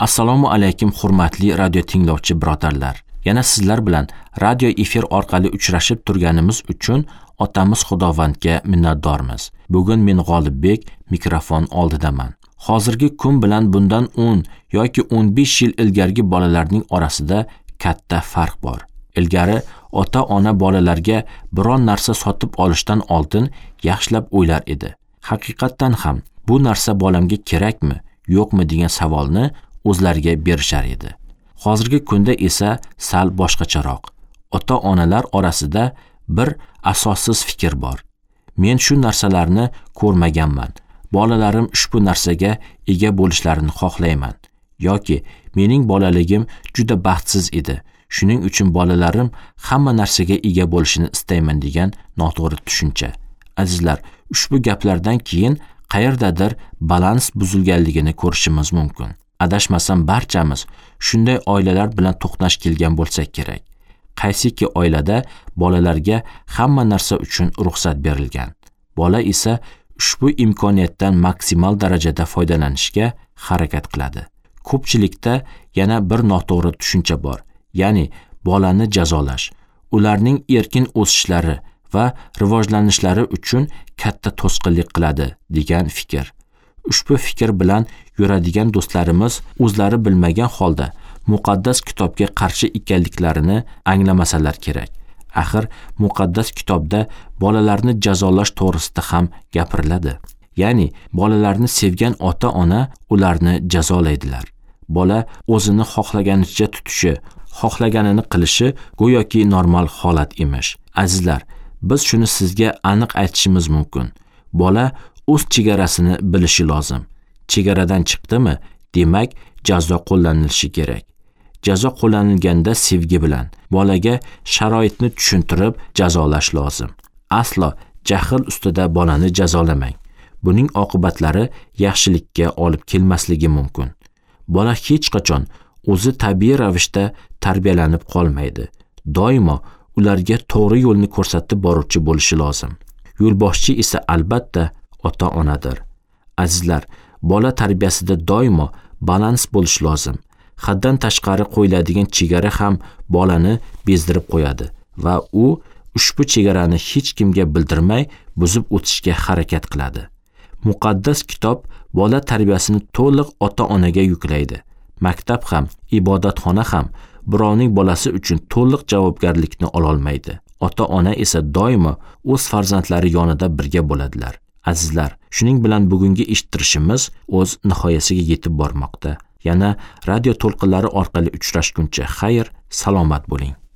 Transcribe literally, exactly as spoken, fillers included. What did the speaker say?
Assalomu alaykum hurmatli radio tinglovchi birodarlar. Yana sizlar bilan radio efir orqali uchrashib turganimiz uchun otamiz Xudovandga minnatdormiz. Bugun men G'olibbek mikrofon oldidaman. Hozirgi kun bilan bundan o'n yoki o'n besh yil ilgargi bolalarning orasida katta farq bor. Ilgari ota-ona bolalarga biron narsa sotib olishdan oldin yaxshilab o'ylar edi. Haqiqatdan ham bu narsa bolamga kerakmi, yo'qmi degan savolni o'zlariga berishar edi. Hozirgi kunda esa sal boshqacharoq. Ota-onalar orasida bir asossiz fikr bor. Men shu narsalarni ko'rmaganman. Bolalarim ushbu narsaga ega bo'lishlarini xohlayman. Yoki mening bolaligim juda baxtsiz edi. Shuning uchun bolalarim hamma narsaga ega bo'lishini istayman degan noto'g'ri tushuncha. Azizlar, ushbu gaplardan keyin qayerdadir balans buzilganligini ko'rishimiz mumkin. Adashmasam barchamiz shunday oilalar bilan to'qnash kelgan bo'lsak kerak. Qaysiki oilada bolalarga hamma narsa uchun ruxsat berilgan. Bola esa ushbu imkoniyatdan maksimal darajada foydalanishga harakat qiladi. Ko'pchilikda yana bir noto'g'ri tushuncha bor, ya'ni bolani jazolash, ularning erkin o'sishlari va rivojlanishlari uchun katta to'sqinlik qiladi degan fikr. Ushbu fikr bilan yuradigan do'stlarimiz o'zlari bilmagan holda muqaddas kitobga qarshi ekanliklarini anglamasalar kerak. Axir muqaddas kitobda bolalarni jazolash to'g'risida ham gapiriladi. Ya'ni bolalarni sevgan ota-ona ularni jazolaydilar. Bola o'zini xohlaganicha tutishi, xohlaganini qilishi go'yoki normal holat emish. Azizlar, biz shuni sizga aniq aytishimiz mumkin. Bola o'z chegarasini bilishi lozim. Chegaradan chiqdimi, demak jazo qo'llanilishi kerak. Jazo qo'llanilganda sevgi bilan bolaga sharoitni tushuntirib jazolash lozim. Aslo jahl ustida bolani jazolamang. Buning oqibatlari yaxshilikka olib kelmasligi mumkin. Bola hech qachon o'zi tabiiy ravishda tarbiyalanib qolmaydi. Doimo ularga to'g'ri yo'lni ko'rsatib boruvchi bo'lishi lozim. Yo'lboshchi esa albatta ota-onadir. Azizlar, bola tarbiyasida doimo balans bo'lishi lozim. Haddan tashqari qo'yiladigan chegara ham bolani bezdirib qo'yadi va u ushbu chegarani hech kimga bildirmay buzib o'tishga harakat qiladi. Muqaddas kitob bola tarbiyasini to'liq ota-onaga yuklaydi. Maktab ham, ibodatxona ham birovning bolasi uchun to'liq javobgarlikni ola olmaydi. Ota-ona esa doimo o'z farzandlari yonida birga bo'ladilar. Azizlar, shuning bilan bugungi eshittirishimiz o'z nihoyasiga yetib bormoqda. Yana radio to'lqinlari orqali uchrashguncha xayr, salomat bo'ling.